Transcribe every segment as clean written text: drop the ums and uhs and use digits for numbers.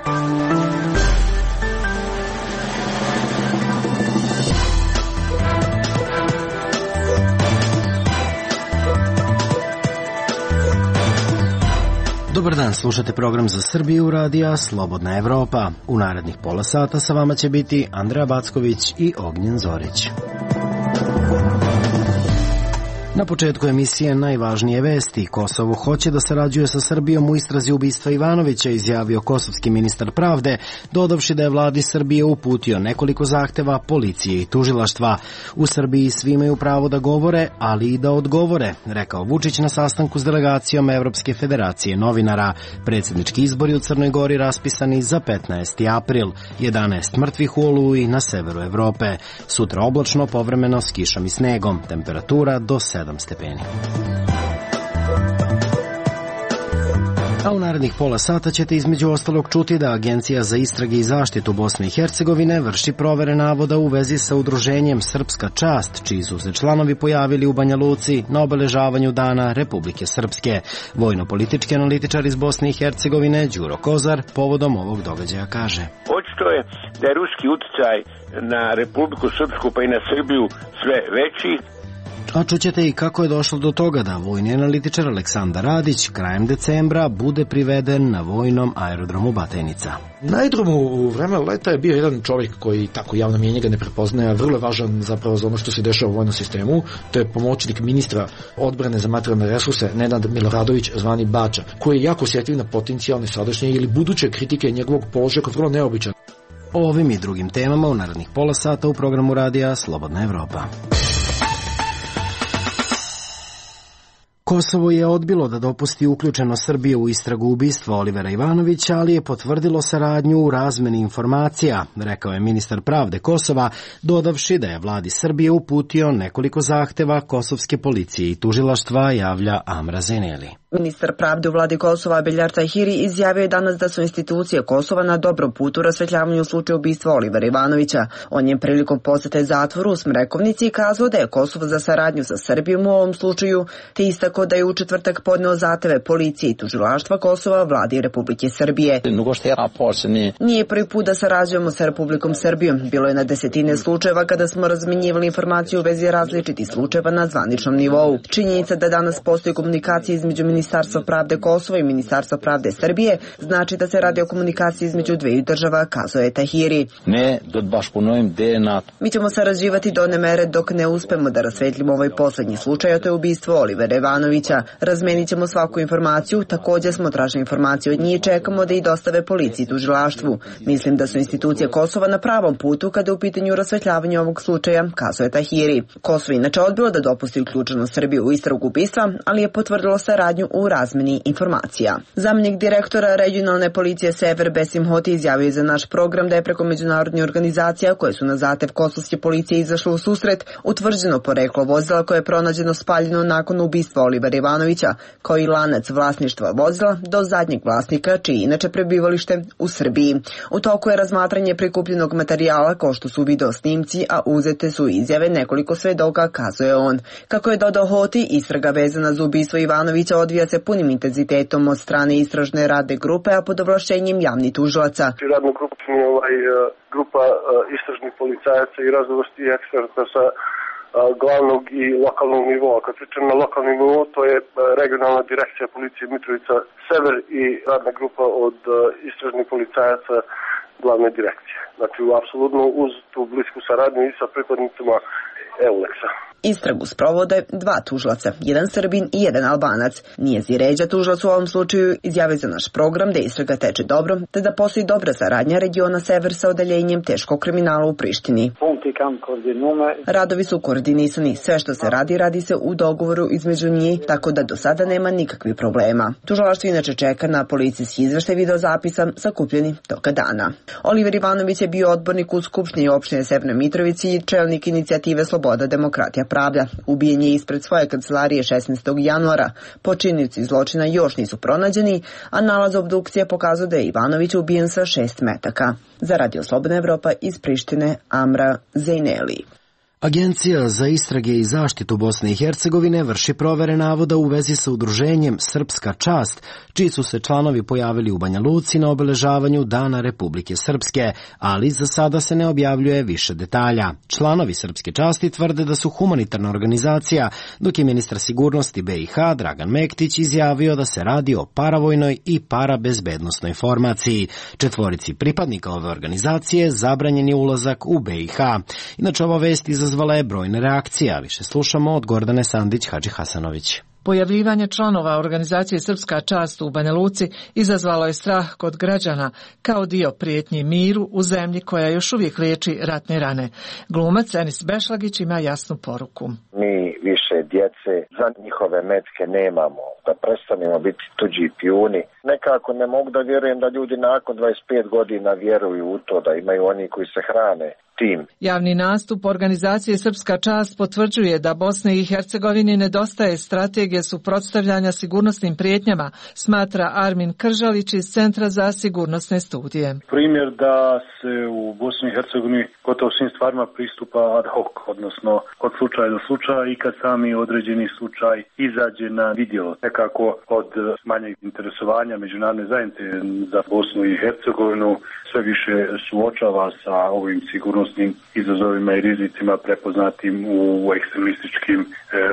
Dobar dan, slušate program za Srbiju radija Slobodna Evropa. U narednih pola sata sa vama će biti Andreja Backović i Ognjen Zorić. Na početku emisije najvažnije vesti. Kosovo hoće da sarađuje sa Srbijom u istrazi ubistva Ivanovića, izjavio kosovski ministar pravde, dodavši da je vladi Srbije uputio nekoliko zahteva policije i tužilaštva. U Srbiji svi imaju pravo da govore, ali i da odgovore, rekao Vučić na sastanku s delegacijom Evropske federacije novinara. Predsjednički izbori u Crnoj Gori raspisani za 15. april. 11 mrtvih u Oluji na severu Evrope. Sutra oblačno, povremeno s kišom i snegom. Temperatura do 7 stepeni. A u narednih pola sata ćete između ostalog čuti da Agencija za istrage i zaštitu Bosne i Hercegovine vrši provere navoda u vezi sa udruženjem Srpska čast, čiji su se članovi pojavili u Banja Luci na obeležavanju Dana Republike Srpske. Vojno-politički analitičar iz Bosne i Hercegovine Đuro Kozar povodom ovog događaja kaže: Očito je da je ruski uticaj na Republiku Srpsku pa i na Srbiju sve veći. A čućete i kako je došlo do toga da vojni analitičar Aleksandar Radić krajem decembra bude priveden na vojnom aerodromu Batajnica. Na aerodromu u vreme leta je bio jedan čovjek koji tako javno mjenje ga ne prepoznaje, a vrlo je važan zapravo za ono što se dešava u vojnom sistemu. To je pomoćnik ministra odbrane za materijalne resurse Nenad Miloradović, zvani Bača, koji je jako osjetljiv na potencijalne sadašnje ili buduće kritike njegovog položaja koji je vrlo neobičan. O ovim i drugim temama u narednih pola sata u programu radija Slobodna Evropa. Kosovo je odbilo da dopusti uključeno Srbije u istragu ubistva Olivera Ivanovića, ali je potvrdilo saradnju u razmeni informacija, rekao je ministar pravde Kosova, dodavši da je vladi Srbije uputio nekoliko zahteva kosovske policije i tužilaštva, javlja Amra Zeneli. Ministar pravde u vladi Kosova Beljar Tahiri izjavio je danas da su institucije Kosova na dobrom putu u rasvetljavanju slučaja ubistva Olivera Ivanovića. On je prilikom posete zatvoru u Smrekovnici kazao da je Kosovo za saradnju sa Srbijom u ovom slučaju, te istako da je u četvrtak podneo zahteve policije i tužilaštva Kosova vladi Republike Srbije. Nije prvi put da sarađujemo sa Republikom Srbijom. Bilo je na desetine slučajeva kada smo razmenjivali informacije u vezi različitih slučajeva na zvaničnom nivou. Činjenica da danas postoji komunikacija između Ministarstva pravde Kosova i Ministarstva pravde Srbije znači da se radi o komunikaciji između dveju država, kazao je Tahiri. Mi ćemo sarađivati do one mere dok ne uspemo da rasvetljimo ovaj poslednji slučaj, a to je ubistvo Olivera Ivanovića. Razmenit ćemo svaku informaciju, također smo tražili informacije od njih i čekamo da ih dostave policiji i tužilaštvu. Mislim da su institucije Kosova na pravom putu kada je u pitanju rasvetljavanja ovog slučaja, kazao je Tahiri. Kosovo inače odbilo da dopusti uključenost Srbije u istragu ubistva, ali je potvrdilo saradnju u razmeni informacija. Zamjenik direktora regionalne policije Sever Besim Hoti izjavio za naš program da je preko međunarodnih organizacija koje su na zahtev kosovske policije izašle u susret utvrđeno poreklo vozila koje je pronađeno spaljeno nakon ubistva Olivera Ivanovića, kao i lanac vlasništva vozila do zadnjeg vlasnika, čiji inače prebivalište u Srbiji. U toku je razmatranje prikupljenog materijala, kao što su video snimci, a uzete su izjave nekoliko svedoka, kazuje on. Kako je dodao Hoti, istraga vezana za ubistvo Ivanovića odvija se punim intenzitetom od strane istražne radne grupe, a pod ovlašćenjem javnih tužilaca. Radna grupa grupa istražnih policajaca i raznovrsnih eksperta sa glavnog i lokalnog nivoa. Kad pričam na lokalni nivo, to je regionalna direkcija policije Mitrovica Sever i radna grupa od istražnih policajaca glavne direkcije. Znači, apsolutno uz tu blisku saradnju i sa pripadnicima EULEX-a. Istragu sprovode dva tužilaca, jedan Srbin i jedan Albanac. Nijezi Ređa, tužilac u ovom slučaju, izjavio za naš program da istraga teče dobro, te da postoji dobra saradnja regiona Sever sa odeljenjem teškog kriminala u Prištini. Radovi su koordinisani, sve što se radi, radi se u dogovoru između njih, tako da do sada nema nikakvih problema. Tužilaštvo inače čeka na policijski izveštaj videozapisa sakupljeni toga dana. Oliver Ivanović je bio odbornik u Skupštini opštine Severne Mitrovici i čelnik inicijative Sloboda, demokratija, pravda. Ubijen je ispred svoje kancelarije 16. januara. Počinioci zločina još nisu pronađeni, a nalaz obdukcije pokazuje da je Ivanović ubijen sa 6 metaka. Za Radio Slobodna Evropa iz Prištine, Amra Zeneli. Agencija za istrage i zaštitu Bosne i Hercegovine vrši provere navoda u vezi sa udruženjem Srpska čast, čiji su se članovi pojavili u Banja Luci na obeležavanju Dana Republike Srpske, ali za sada se ne objavljuje više detalja. Članovi Srpske časti tvrde da su humanitarna organizacija, dok je ministar sigurnosti BiH Dragan Mektić izjavio da se radi o paravojnoj i parabezbednosnoj formaciji. Četvorici pripadnika ove organizacije zabranjen je ulazak u BiH. Inače, ova vest izazvala je brojne reakcije, a više slušamo od Gordane Sandić-Hadžihasanović. Pojavljivanje članova organizacije Srpska čast u Banja Luci izazvalo je strah kod građana kao dio prijetnji miru u zemlji koja još uvijek liječi ratne rane. Glumac Enis Bešlagić ima jasnu poruku. Mi više djece za njihove metke nemamo, da prestanemo biti tuđi pijuni. Nekako ne mogu da vjerujem da ljudi nakon 25 godina vjeruju u to, da imaju oni koji se hrane tim. Javni nastup organizacije Srpska čast potvrđuje da Bosni i Hercegovini nedostaje strategije suprotstavljanja sigurnosnim prijetnjama, smatra Armin Kržalić iz Centra za sigurnosne studije. Primjer da se u Bosni i Hercegovini gotovo svim stvarima pristupa ad hoc, odnosno od slučaja do slučaja i kad sami određeni slučaj izađe na vidjelo. Nekako od manjeg interesovanja međunarodne zajednice za Bosnu i Hercegovinu sve više suočava sa ovim sigurnosnim izazovima i rizicima prepoznatim u ekstremističkim,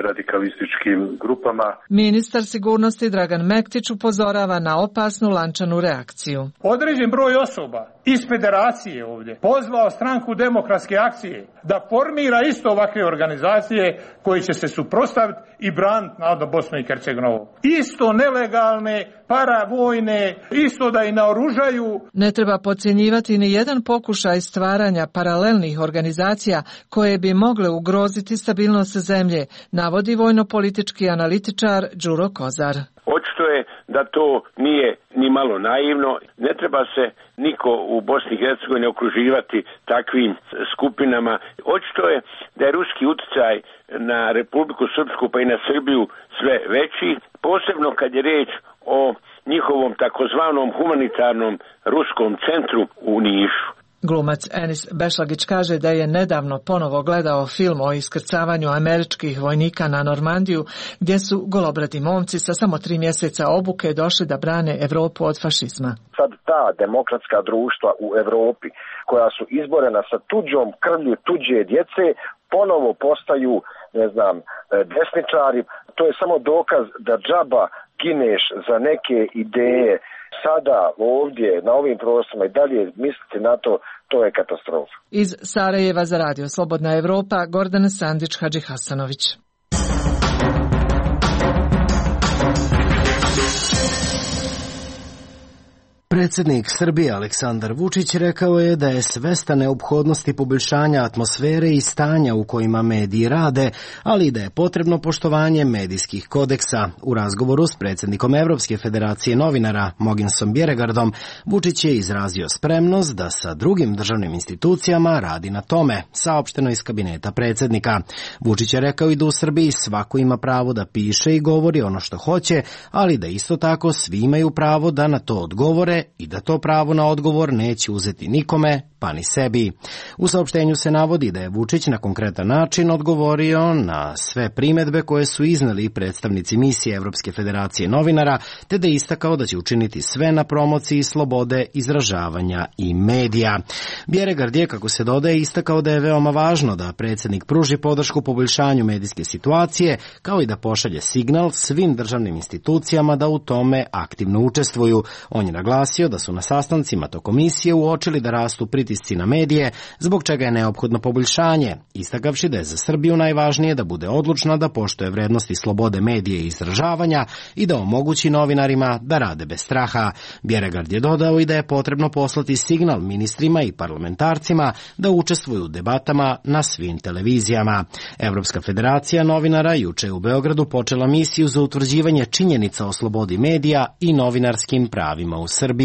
radikalističkim grupama. Ministar sigurnosti Dragan Mektić upozorava na opasnu lančanu reakciju. Određen broj osoba iz federacije ovdje pozvao stranku Demokratske akcije da formira isto ovakve organizacije koji će se suprotstaviti i braniti narodno Bosnu i Hercegovinu. Isto nelegalne, paravojne, isto da i naoružaju. Ne treba podcjenjivati ni jedan pokušaj stvaranja paralelnih organizacija koje bi mogle ugroziti stabilnost zemlje, navodi vojno-politički analitičar Đuro Kozar. Očito je da to nije ni malo naivno. Ne treba se niko u Bosni i Hercegovini okruživati takvim skupinama. Očito je da je ruski utjecaj na Republiku Srpsku pa i na Srbiju sve veći, posebno kad je riječ o njihovom takozvanom humanitarnom ruskom centru u Nišu. Glumac Enis Bešlagić kaže da je nedavno ponovo gledao film o iskrcavanju američkih vojnika na Normandiju, gdje su golobradi momci sa samo 3 mjeseca obuke došli da brane Evropu od fašizma. Sad ta demokratska društva u Evropi koja su izborena sa tuđom krvlju tuđe djece ponovo postaju, desničari. To je samo dokaz da džaba gineš za neke ideje. Sada ovdje na ovim prostorima i dalje misliti na to je katastrofa. Iz Sarajeva za Radio Slobodna Evropa, Gordana Sandić-Hadžihasanović. Predsjednik Srbije Aleksandar Vučić rekao je da je svestan neophodnosti poboljšanja atmosfere i stanja u kojima mediji rade, ali i da je potrebno poštovanje medijskih kodeksa. U razgovoru s predsjednikom Evropske federacije novinara Mogensom Bjeregardom, Vučić je izrazio spremnost da sa drugim državnim institucijama radi na tome, saopšteno iz kabineta predsjednika. Vučić je rekao i da u Srbiji svako ima pravo da piše i govori ono što hoće, ali da isto tako svi imaju pravo da na to odgovore i da to pravo na odgovor neće uzeti nikome, pa ni sebi. U saopštenju se navodi da je Vučić na konkretan način odgovorio na sve primjedbe koje su izneli predstavnici misije Evropske federacije novinara, te da je istakao da će učiniti sve na promociji slobode izražavanja i medija. Bjeregard je, kako se dodaje, istakao da je veoma važno da predsjednik pruži podršku poboljšanju medijske situacije, kao i da pošalje signal svim državnim institucijama da u tome aktivno učestvuju. On je naglasio da su na sastancima to komisije uočili da rastu pritisci na medije, zbog čega je neophodno poboljšanje, istakavši da je za Srbiju najvažnije da bude odlučna da poštuje vrednosti slobode medije i izražavanja i da omogući novinarima da rade bez straha. Bjeregard je dodao i da je potrebno poslati signal ministrima i parlamentarcima da učestvuju u debatama na svim televizijama. Evropska federacija novinara juče u Beogradu počela misiju za utvrđivanje činjenica o slobodi medija i novinarskim pravima u Srbiji.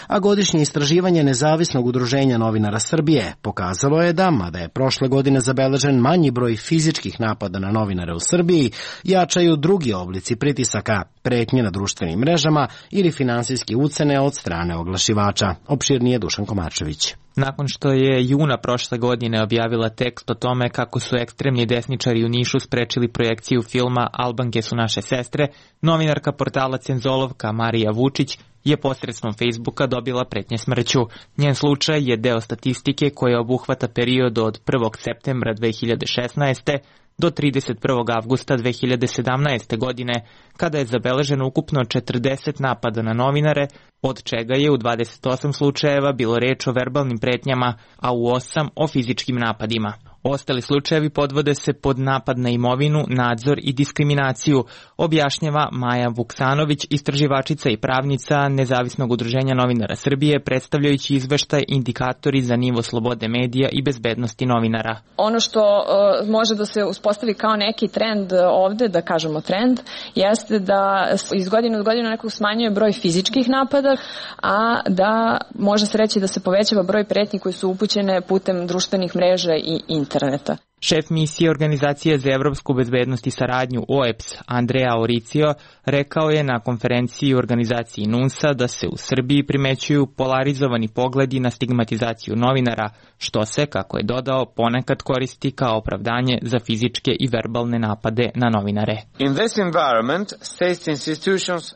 A godišnje istraživanje Nezavisnog udruženja novinara Srbije pokazalo je da, mada je prošle godine zabeležen manji broj fizičkih napada na novinare u Srbiji, jačaju drugi oblici pritisaka, pretnje na društvenim mrežama ili finansijske ucene od strane oglašivača. Opširnije Dušan Komarčević. nakon što je juna prošle godine objavila tekst o tome kako su ekstremni desničari u Nišu sprečili projekciju filma Albanke su naše sestre, novinarka portala Cenzolovka Marija Vučić je posredstvom Facebooka dobila pretnje smrću. Njen slučaj je deo statistike koja obuhvata period od 1. septembra 2016. do 31. avgusta 2017. godine, kada je zabeleženo ukupno 40 napada na novinare, od čega je u 28 slučajeva bilo reč o verbalnim pretnjama, a u 8 o fizičkim napadima. Ostali slučajevi podvode se pod napad na imovinu, nadzor i diskriminaciju, objašnjava Maja Vuksanović, istraživačica i pravnica Nezavisnog udruženja novinara Srbije, predstavljajući izveštaj Indikatori za nivo slobode medija i bezbednosti novinara. Ono što može da se uspostavi kao neki trend ovde, da kažemo trend, jeste da iz godine u godinu nekako smanjuje broj fizičkih napada, a da može se reći da se povećava broj pretnji koji su upućene putem društvenih mreža i interneta. Šef misije Organizacije za evropsku bezbednost i saradnju OEBS Andrea Oricio rekao je na konferenciji u organizaciji NUNS-a da se u Srbiji primećuju polarizovani pogledi na stigmatizaciju novinara, što se, kako je dodao, ponekad koristi kao opravdanje za fizičke i verbalne napade na novinare.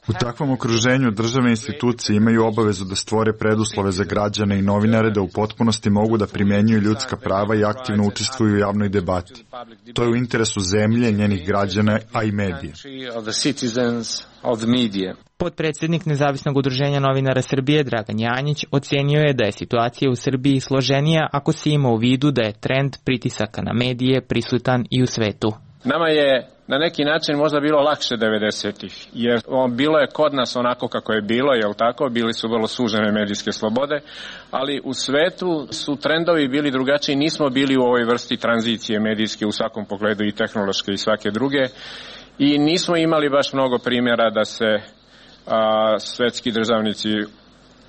U takvom okruženju državne institucije imaju obavezu da stvore preduslove za građane i novinare da u potpunosti mogu da primenjuju ljudska prava i aktivno učestvuju u javnoj debati. To je u interesu zemlje, njenih građana, a i medija. Potpredsjednik Nezavisnog udruženja novinara Srbije Dragan Janjić ocenio je da je situacija u Srbiji složenija ako se ima u vidu da je trend pritisaka na medije prisutan i u svetu. Nama je na neki način možda bilo lakše 90-ih, jer bilo je kod nas onako kako je bilo, jel tako, bili su vrlo sužene medijske slobode, ali u svetu su trendovi bili drugačiji, nismo bili u ovoj vrsti tranzicije medijske u svakom pogledu i tehnološke i svake druge i nismo imali baš mnogo primjera da se svetski državnici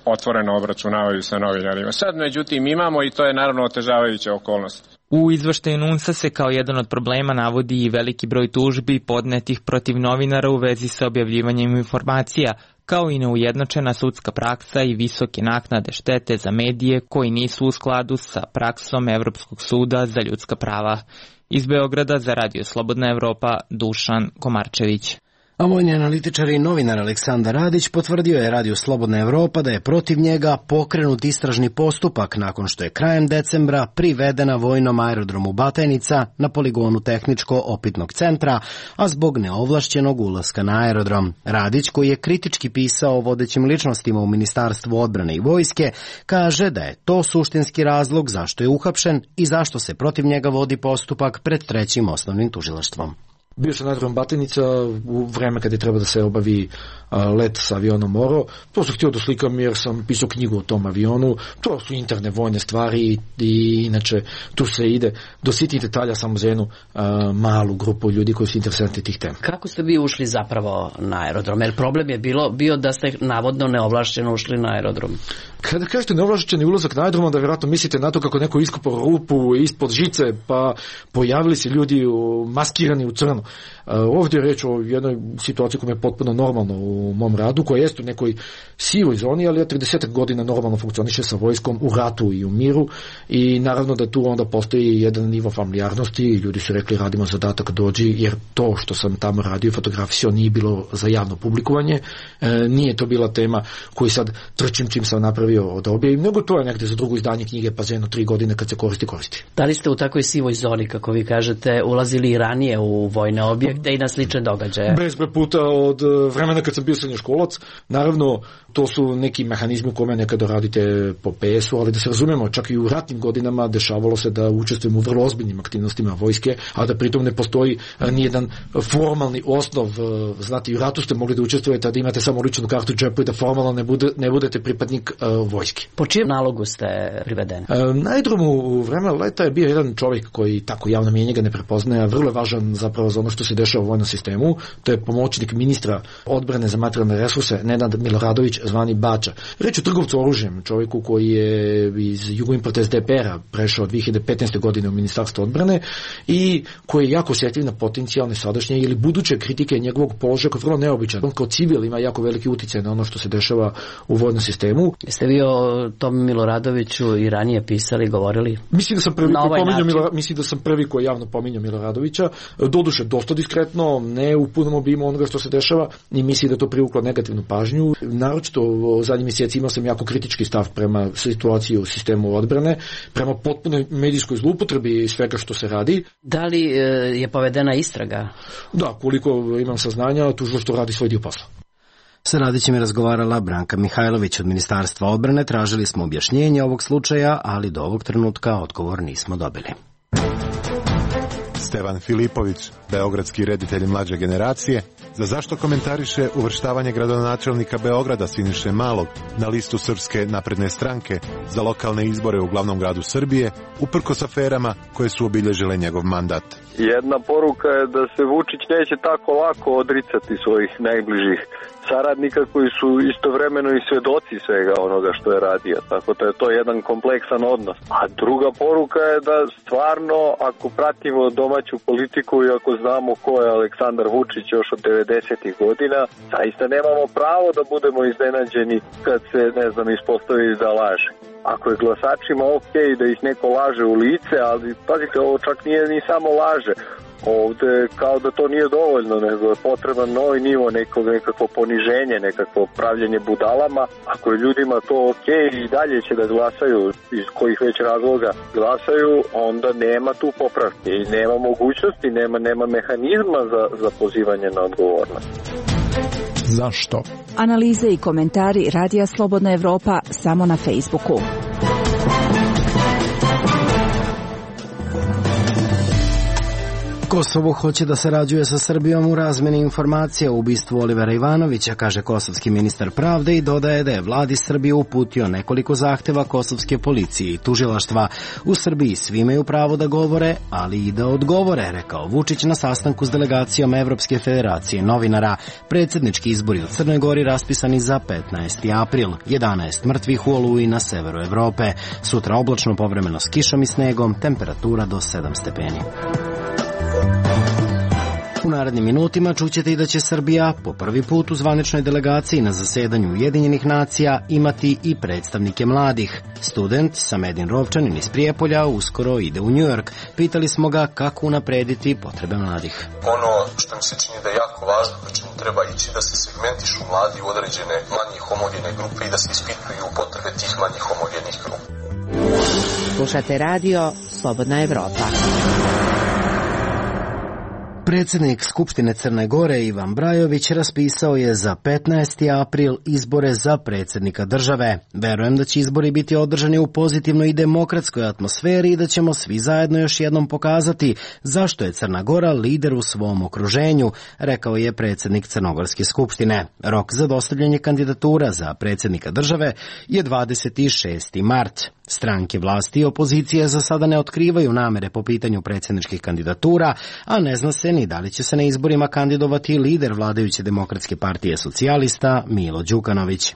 otvoreno obračunavaju sa novinarima. Sad međutim imamo i to je naravno otežavajuća okolnost. U izveštaju NUNS-a se kao jedan od problema navodi i veliki broj tužbi podnetih protiv novinara u vezi sa objavljivanjem informacija, kao i neujednačena sudska praksa i visoke naknade štete za medije koji nisu u skladu sa praksom Evropskog suda za ljudska prava. Iz Beograda za Radio Slobodna Evropa, Dušan Komarčević. A vojni analitičar i novinar Aleksandar Radić potvrdio je Radio Slobodna Evropa da je protiv njega pokrenut istražni postupak nakon što je krajem decembra privedena vojnom aerodromu Batajnica na poligonu tehničko-opitnog centra, a zbog neovlašćenog ulaska na aerodrom. Radić, koji je kritički pisao o vodećim ličnostima u Ministarstvu odbrane i vojske, kaže da je to suštinski razlog zašto je uhapšen i zašto se protiv njega vodi postupak pred trećim osnovnim tužilaštvom. Bio sam na aerodrom Batajnica u vreme kada je treba da se obavi let sa avionom Moro. To sam htio da slikam jer sam pisao knjigu o tom avionu. To su interne vojne stvari i inače tu se ide do sitnih detalja samo za jednu malu grupu ljudi koji su interesantni tih tema. Kako ste vi ušli zapravo na aerodrom? Jer problem je bio da ste navodno neovlašćeno ušli na aerodrom. Kada kažete neovlašćeni ulazak na aerodrom, onda vjerojatno mislite na to kako neko iskopao rupu ispod žice, pa pojavili se ljudi maskirani u crno. Ovdje je reč o jednoj situaciji koja je potpuno normalno u mom radu, koja jest u nekoj sivoj zoni, ali ja 30 godina normalno funkcioniše sa vojskom u ratu i u miru i naravno da tu onda postoji jedan nivo familijarnosti. Ljudi su rekli radimo zadatak, dođi, jer to što sam tamo radio, fotografisao, nije bilo za javno publikovanje, nije to bila tema koju sad trčim čim sam napravio da objavim, nego to je negde za drugo izdanje knjige, pa za jedno 3 godine kad se koristi. Da li ste u takvoj sivoj zoni, kako vi kažete, ulazili i ranije u vojne objekte i na slične događaje? Bezbroj puta od vremena kad sam bio srednjoškolac. Naravno, to su neki mehanizmi u kome nekada radite po PS-u, ali da se razumemo, čak i u ratnim godinama dešavalo se da učestvujemo u vrlo ozbiljnim aktivnostima vojske, a da pritom ne postoji nijedan formalni osnov. Znate, i u ratu ste mogli da učestvujete, a da imate samo ličnu kartu u džepu i da formalno ne budete pripadnik vojske. Po čijem nalogu ste privedeni? Na aerodromu u vremena leta je bio jedan čovjek koji tako javno mjenje ga ne prepoznaje, a vrlo je važan zapravo za ono što se dešava dešava u vojnom sistemu, to je pomoćnik ministra odbrane za materijalne resurse Nenad Miloradović, zvani Bača. Reč o trgovcu oružjem, čovjeku koji je iz Jugoimporta SDPR-a prešao 2015. godine u Ministarstvo odbrane i koji je jako osjetljiv na potencijalne sadašnje ili buduće kritike njegovog položaja koji je vrlo neobičan. On kao civil ima jako veliki uticaj na ono što se dešava u vojnom sistemu. Jeste vi o tom Miloradoviću i ranije pisali, govorili? Mislim da sam prvi koji javno pominjao Miloradovića. Doduše dosta diskretno, ne u punom obimu onoga što se dešava i mislim da to privuklo negativnu pažnju. Naročito u zadnjim mjeseci imao sam jako kritički stav prema situaciji u sistemu odbrane, prema potpunoj medijskoj zloupotrebi i svega što se radi. Da li je povedena istraga? Da, koliko imam saznanja, tužilaštvo radi svoj dio posla. Sa Radićem je razgovarala Branka Mihajlović od Ministarstva odbrane. Tražili smo objašnjenje ovog slučaja, ali do ovog trenutka odgovor nismo dobili. Stevan Filipović, beogradski reditelj mlađe generacije, zašto komentariše uvrštavanje gradonačelnika Beograda Siniše Malog na listu Srpske napredne stranke za lokalne izbore u glavnom gradu Srbije, uprkos aferama koje su obilježile njegov mandat. Jedna poruka je da se Vučić neće tako lako odricati svojih najbližih saradnika koji su istovremeno i svedoci svega onoga što je radio. Tako da je to jedan kompleksan odnos. A druga poruka je da stvarno, ako pratimo domaću politiku i ako znamo ko je Aleksandar Vučić još od 90. godina, zaista nemamo pravo da budemo iznenađeni kad se, ispostavi da laže. Ako je glasačima okej da ih neko laže u lice, ali pazite, ovo čak nije ni samo laže. Ovde kao da to nije dovoljno, nego je potreban novi nivo, nekako poniženje, nekako pravljenje budalama. Ako je ljudima to okej i dalje će da glasaju, iz kojih već razloga glasaju, onda nema tu popravke i nema mogućnosti, nema mehanizma za pozivanje na odgovornost. Zašto? Analize i komentari Radija Slobodna Evropa samo na Facebooku. Kosovo hoće da sarađuje sa Srbijom u razmeni informacija o ubistvu Olivera Ivanovića, kaže kosovski ministar pravde i dodaje da je vladi Srbije uputio nekoliko zahteva kosovske policije i tužilaštva. U Srbiji svi imaju pravo da govore, ali i da odgovore, rekao Vučić na sastanku s delegacijom Evropske federacije novinara. Predsjednički izbori u Crnoj Gori raspisani za 15. april. 11 mrtvih u Oluji na severu Evrope. Sutra oblačno, povremeno s kišom i snegom, temperatura do 7 stepeni. U narednim minutima čućete i da će Srbija po prvi put u zvaničnoj delegaciji na zasedanju Ujedinjenih nacija imati i predstavnike mladih. Student Samedin Rovčanin iz Prijepolja uskoro ide u New York. Pitali smo ga kako unaprediti potrebe mladih. Ono što mi se čini da je jako važno, da čemu treba ići, da se segmentišu mladi u određene manje homogene grupe i da se ispituju potrebe tih manje homogenih grupa. Slušate radio Slobodna Evropa. Predsjednik Skupštine Crne Gore Ivan Brajović raspisao je za 15. april izbore za predsjednika države. Verujem da će izbori biti održani u pozitivnoj i demokratskoj atmosferi i da ćemo svi zajedno još jednom pokazati zašto je Crna Gora lider u svom okruženju, rekao je predsjednik Crnogorske skupštine. Rok za dostavljanje kandidatura za predsjednika države je 26. mart. Stranke vlasti i opozicije za sada ne otkrivaju namere po pitanju predsjedničkih kandidatura, a ne zna se ni da li će se na izborima kandidovati lider vladajuće Demokratske partije socijalista Milo Đukanović.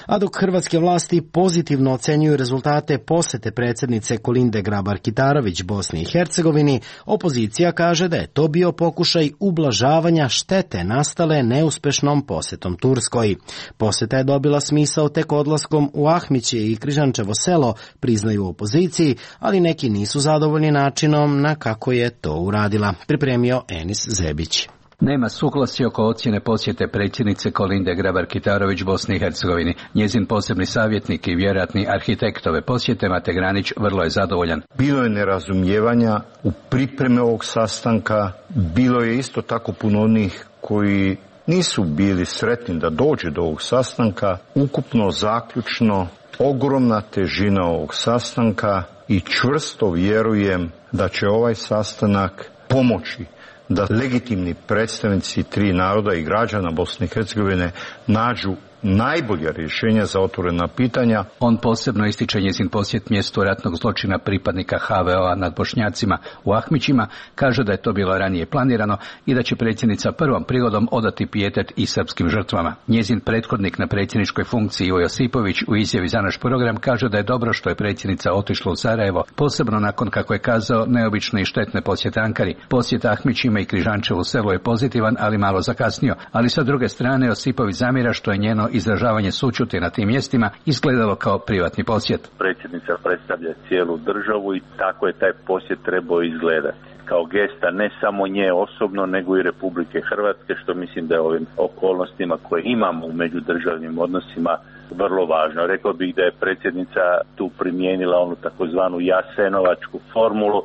A dok hrvatske vlasti pozitivno ocenjuju rezultate posete predsjednice Kolinde Grabar-Kitarović Bosni i Hercegovini, opozicija kaže da je to bio pokušaj ublažavanja štete nastale neuspešnom posetom Turskoj. Poseta je dobila smisao tek odlaskom u Ahmiće i Križančevo selo, priznaju u opoziciji, ali neki nisu zadovoljni načinom na kako je to uradila, pripremio Enis Zebić. Nema suglasja oko ocjene posjete predsjednice Kolinde Grabar-Kitarović Bosni i Hercegovini. Njezin posebni savjetnik i vjerojatni arhitekt ove posjete Mate Granić vrlo je zadovoljan. Bilo je nerazumijevanja u pripreme ovog sastanka, bilo je isto tako puno onih koji nisu bili sretni da dođe do ovog sastanka. Ukupno, zaključno, ogromna težina ovog sastanka i čvrsto vjerujem da će ovaj sastanak pomoći da legitimni predstavnici tri naroda i građana Bosne i Hercegovine nađu najbolja rješenja za otvorena pitanja. On posebno ističe njezin posjet mjestu ratnog zločina pripadnika HVO-a nad Bošnjacima u Ahmićima, kaže da je to bilo ranije planirano i da će predsjednica prvom prigodom odati pijetet i srpskim žrtvama. Njezin prethodnik na predsjedničkoj funkciji Ivo Josipović u izjavi za naš program kaže da je dobro što je predsjednica otišla u Sarajevo, posebno nakon, kako je kazao, neobične i štetne posjete Ankari. Posjet Ahmićima i Križančevu selu je pozitivan, ali malo zakasnio, ali sa druge strane Josipović zamjera što je njeno izražavanje sućuti na tim mjestima izgledalo kao privatni posjet. Predsjednica predstavlja cijelu državu i tako je taj posjet trebao izgledati. Kao gesta ne samo nje osobno, nego i Republike Hrvatske, što mislim da je ovim okolnostima koje imamo u međudržavnim odnosima vrlo važno. Rekao bih da je predsjednica tu primijenila onu takozvanu jasenovačku formulu.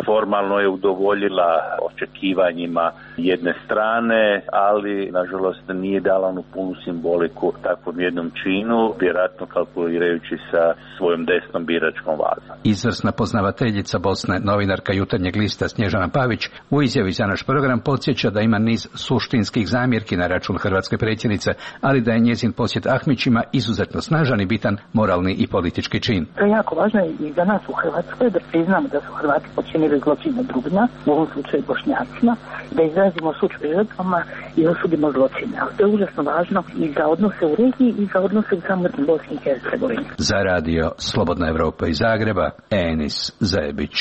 Formalno je udovoljila očekivanjima jedne strane, ali nažalost nije dala onu punu simboliku takvom jednom činu, vjerojatno kalkulirajući sa svojom desnom biračkom vazom. Izvrsna poznavateljica Bosne, novinarka Jutarnjeg lista Snježana Pavić, u izjavi za naš program podsjeća da ima niz suštinskih zamjerki na račun hrvatske predsjednice, ali da je njezin posjet Ahmićima izuzetno snažan i bitan moralni i politički čin. To je jako važno i za nas u Hrvatskoj da priznamo da su Hrvati počinili zločine drugima, u ovom slučaju Bošnjacima, da izrazimo sućut žrtvama i osudimo zločine. Ali to je užasno važno i za odnose u regiji i za odnose u samoj Bosni i Hercegovini. Za radio Slobodna Evropa iz Zagreba, Enis Zajebić.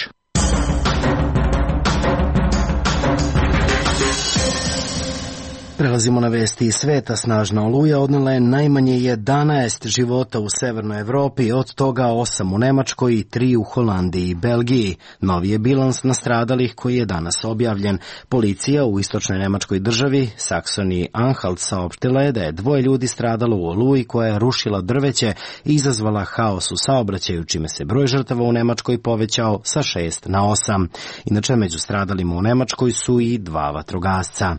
Prelazimo na vesti iz sveta. Snažna oluja odnela je najmanje 11 života u severnoj Evropi, od toga 8 u Nemačkoj i 3 u Holandiji i Belgiji. Novi je bilans nastradalih koji je danas objavljen. Policija u istočnoj nemačkoj državi Saksoniji-Anhalt saopštila je da je 2 ljudi stradalo u oluji koja je rušila drveće i izazvala haos u saobraćaju, čime se broj žrtava u Nemačkoj povećao sa 6 na 8. Inače, među stradalima u Nemačkoj su i 2 vatrogasca.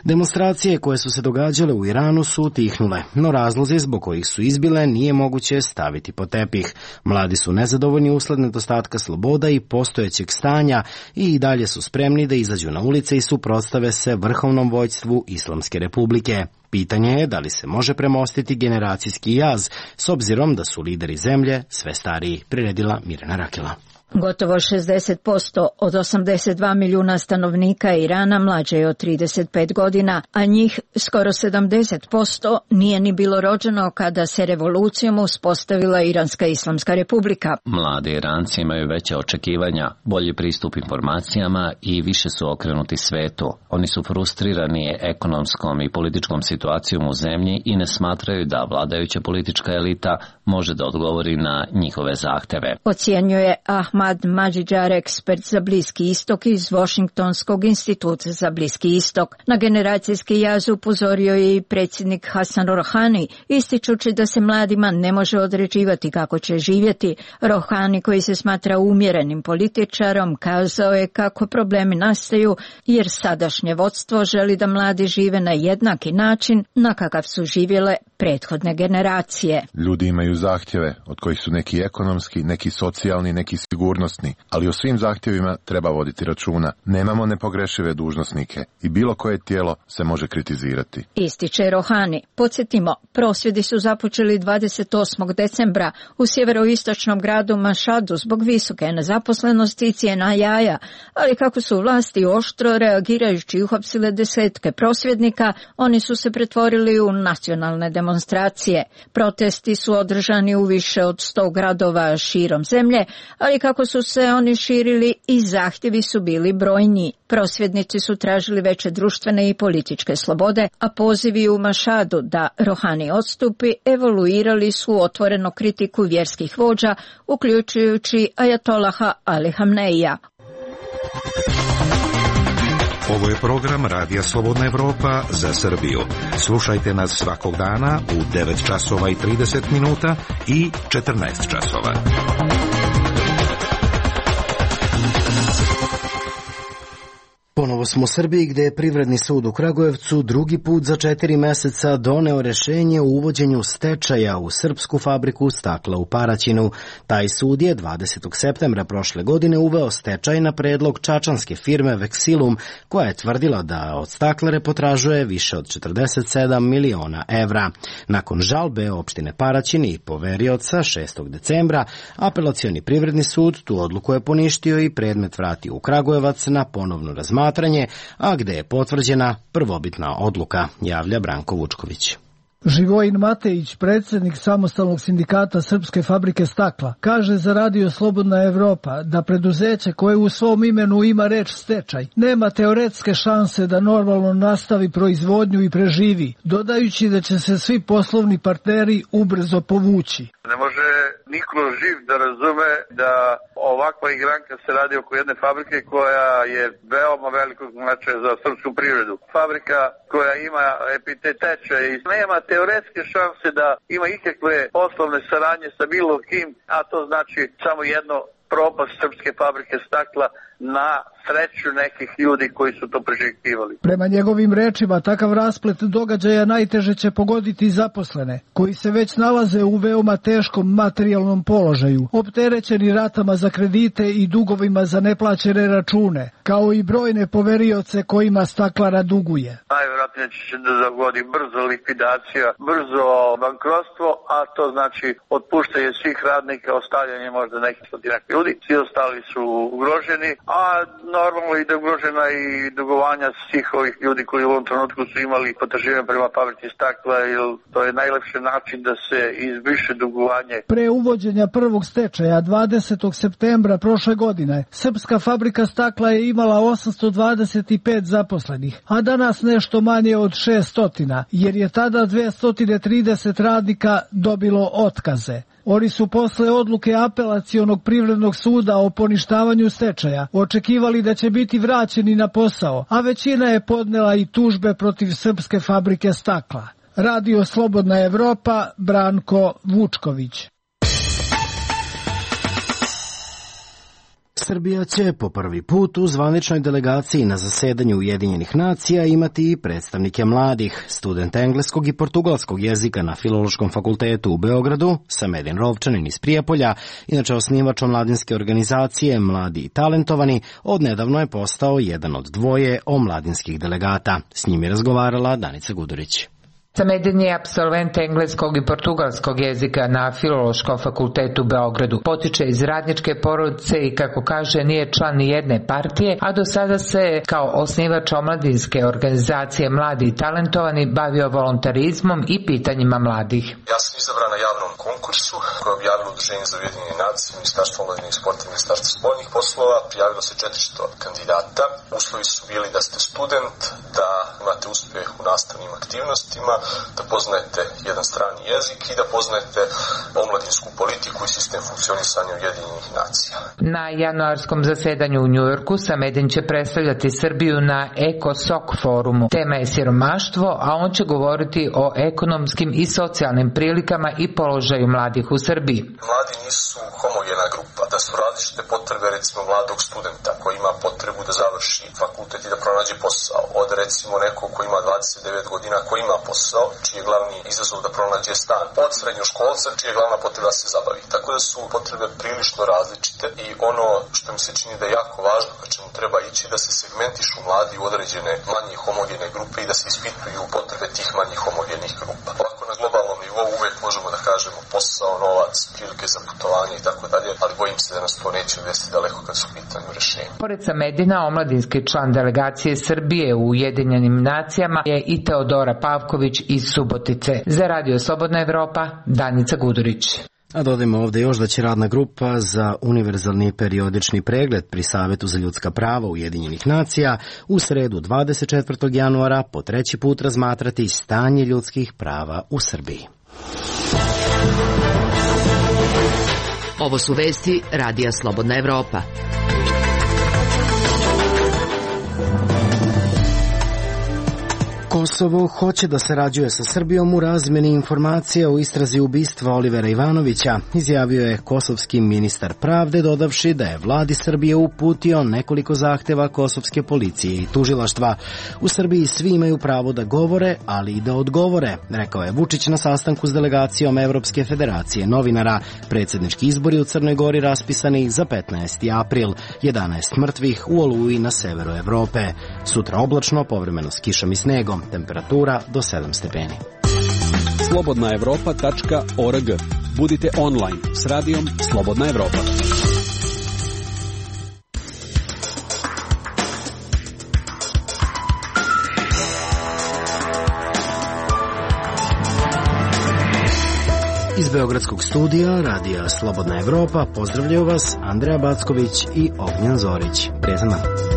Demonstracije koje su se događale u Iranu su utihnule, no razlozi zbog kojih su izbile nije moguće staviti pod tepih. Mladi su nezadovoljni usled nedostatka sloboda i postojećeg stanja i dalje su spremni da izađu na ulice i suprotstave se vrhovnom vođstvu Islamske republike. Pitanje je da li se može premostiti generacijski jaz, s obzirom da su lideri zemlje sve stariji, priredila Mirjana Rakela. Gotovo 60% od 82 milijuna stanovnika Irana mlađe je od 35 godina, a njih skoro 70% nije ni bilo rođeno kada se revolucijom uspostavila Iranska islamska republika. Mladi Iranci imaju veća očekivanja, bolji pristup informacijama i više su okrenuti svetu. Oni su frustrirani ekonomskom i političkom situacijom u zemlji i ne smatraju da vladajuća politička elita može da odgovori na njihove zahteve. Ocjenjuje Ahmad Mađidžar, ekspert za Bliski istok iz Washingtonskog instituta za Bliski istok. Na generacijski jaz upozorio je i predsjednik Hasan Rohani, ističući da se mladima ne može određivati kako će živjeti. Rohani, koji se smatra umjerenim političarom, kazao je kako problemi nastaju jer sadašnje vodstvo želi da mladi žive na jednaki način na kakav su živjele prethodne generacije. Ljudi imaju zahtjeve, od kojih su neki ekonomski, neki socijalni, neki sigurnosni, ali o svim zahtjevima treba voditi računa. Nemamo nepogrešive dužnosnike i bilo koje tijelo se može kritizirati. Ističe Rohani. Podsjetimo, prosvjedi su započeli 28. decembra u sjeveroistočnom gradu Mašadu zbog visoke nezaposlenosti i cijena jaja, ali kako su vlasti oštro reagirajući uhapsile desetke prosvjednika, oni su se pretvorili u nacionalne demonstracije. Protesti su održani u više od 100 gradova širom zemlje, ali kako su se oni širili i zahtjevi su bili brojni. Prosvjednici su tražili veće društvene i političke slobode, a pozivi u Mašadu da Rohani odstupi evoluirali su otvoreno kritiku vjerskih vođa, uključujući ajatolaha Ali Hamneija. Ovo je program Radija Slobodna Evropa za Srbiju. Slušajte nas svakog dana u 9 časova i 30 minuta i 14 časova. Ponovo smo u Srbiji gde je Privredni sud u Kragujevcu drugi put za 4 meseca doneo rešenje o uvođenju stečaja u srpsku fabriku stakla u Paraćinu. Taj sud je 20. septembra prošle godine uveo stečaj na predlog čačanske firme Vexilum, koja je tvrdila da od staklare potražuje više od 47 miliona evra. Nakon žalbe opštine Paraćin i poverioca 6. decembra, Apelacioni privredni sud tu odluku je poništio i predmet vratio u Kragujevac na ponovno razmatranje, a gde je potvrđena prvobitna odluka, javlja Branko Vučković. Živojin Matejić, predsjednik samostalnog sindikata Srpske fabrike stakla, kaže za Radio Slobodna Evropa da preduzeće koje u svom imenu ima reč stečaj nema teoretske šanse da normalno nastavi proizvodnju i preživi, dodajući da će se svi poslovni partneri ubrzo povući. Ne može niko živ da razume da ovakva igranka se radi oko jedne fabrike koja je veoma velikog značaja za srpsku privredu. Fabrika koja ima epitet stečaj i nema teoretske šanse da ima ikakve poslovne saradnje sa bilo kim, a to znači samo jedno propast srpske fabrike stakla na sreću nekih ljudi koji su to priželjkivali. Prema njegovim rečima, takav rasplet događaja najteže će pogoditi zaposlene, koji se već nalaze u veoma teškom materijalnom položaju, opterećeni ratama za kredite i dugovima za neplaćene račune, kao i brojne poverioce kojima staklara duguje. Najvjerojatnije će da dogodi brzo likvidacija, brzo bankrotstvo, a to znači otpuštanje svih radnika, ostavljanje možda nekih stotinak ljudi. Svi ostali su ugroženi, a normalno i da je ugrožena i dugovanja svih ovih ljudi koji u ovom trenutku su imali potraživanja prema fabrici stakla, jer to je najlepši način da se izbriše dugovanje. Pre uvođenja prvog stečaja 20. septembra prošle godine, Srpska fabrika stakla je imala 825 zaposlenih, a danas nešto manje od 600, jer je tada 230 radnika dobilo otkaze. Oni su posle odluke Apelacionog privrednog suda o poništavanju stečaja očekivali da će biti vraćeni na posao, a većina je podnela i tužbe protiv Srpske fabrike stakla. Radio Slobodna Evropa, Branko Vučković. Srbija će po prvi put u zvaničnoj delegaciji na zasedanju Ujedinjenih nacija imati i predstavnike mladih. Student engleskog i portugalskog jezika na Filološkom fakultetu u Beogradu, Samedin Rovčanin iz Prijepolja, inače osnivač omladinske organizacije Mladi i talentovani, odnedavno je postao jedan od dvoje omladinskih delegata. S njim je razgovarala Danica Gudurić. Samedin je apsolvent engleskog i portugalskog jezika na Filološkom fakultetu u Beogradu. Potiče iz radničke porodice i, kako kaže, nije član ni jedne partije, a do sada se kao osnivač omladinske organizacije Mladi i talentovani bavio volontarizmom i pitanjima mladih. Ja sam izabran na javnom konkursu koje je objavilo Udruženje za Ujedinjene nacije, Ministarstvo omladine i sporta i Ministarstvo spoljnih poslova. Prijavilo se 400 kandidata. Uslovi su bili da ste student, da imate uspeh u nastavnim aktivnostima, da poznajete jedan strani jezik i da poznajete omladinsku politiku i sistem funkcionisanja Ujedinjenih nacija. Na januarskom zasedanju u Njujorku Samedin će predstavljati Srbiju na ECOSOC forumu. Tema je siromaštvo, a on će govoriti o ekonomskim i socijalnim prilikama i položaju mladih u Srbiji. Mladi nisu homogena grupa, da su različite potrebe, recimo mladog studenta koji ima potrebu da završi fakultet i da pronađe posao, od recimo nekog koji ima 29 godina koji ima posao, čiji je glavni izazov da pronađe stan, od srednjoškolca čiji je glavna potreba da se zabavi. Tako da su potrebe prilično različite i ono što mi se čini da je jako važno, ka čemu treba ići, da se segmentišu mladi u određene manje homogene grupe i da se ispituju potrebe tih manje homogenih grupa. Ovako na globalnom nivou uvek možemo da kažemo posao, novac, prilike za putovanje i tako dalje, ali bojim se da nas to neće odvesti daleko kad su u pitanju rešenja. Pored Samedina, omladinski član delegacije Srbije u Ujedinjenim nacijama je i Teodora Pavković iz Subotice. Za Radio Slobodna Evropa, Danica Gudurić. A dodajmo ovde još da će radna grupa za univerzalni periodični pregled pri Savetu za ljudska prava Ujedinjenih nacija u sredu 24. januara po treći put razmatrati stanje ljudskih prava u Srbiji. Ovo su vesti Radija Slobodna Evropa. Kosovo hoće da sarađuje sa Srbijom u razmeni informacija o istrazi ubistva Olivera Ivanovića, izjavio je kosovski ministar pravde, dodavši da je vladi Srbije uputio nekoliko zahteva kosovske policije i tužilaštva. U Srbiji svi imaju pravo da govore, ali i da odgovore, rekao je Vučić na sastanku s delegacijom Evropske federacije novinara. Predsjednički izbori u Crnoj Gori raspisani za 15. april, 11 mrtvih u Oluji na severu Evrope. Sutra oblačno, povremeno s kišom i snegom, temperatura do 7 stepeni. slobodnaevropa.org. Budite online s radijom Slobodna Evropa. Iz Beogradskog studija radija Slobodna Evropa pozdravljaju vas Andreja Backović i Ognjan Zorić. Prijatan dan.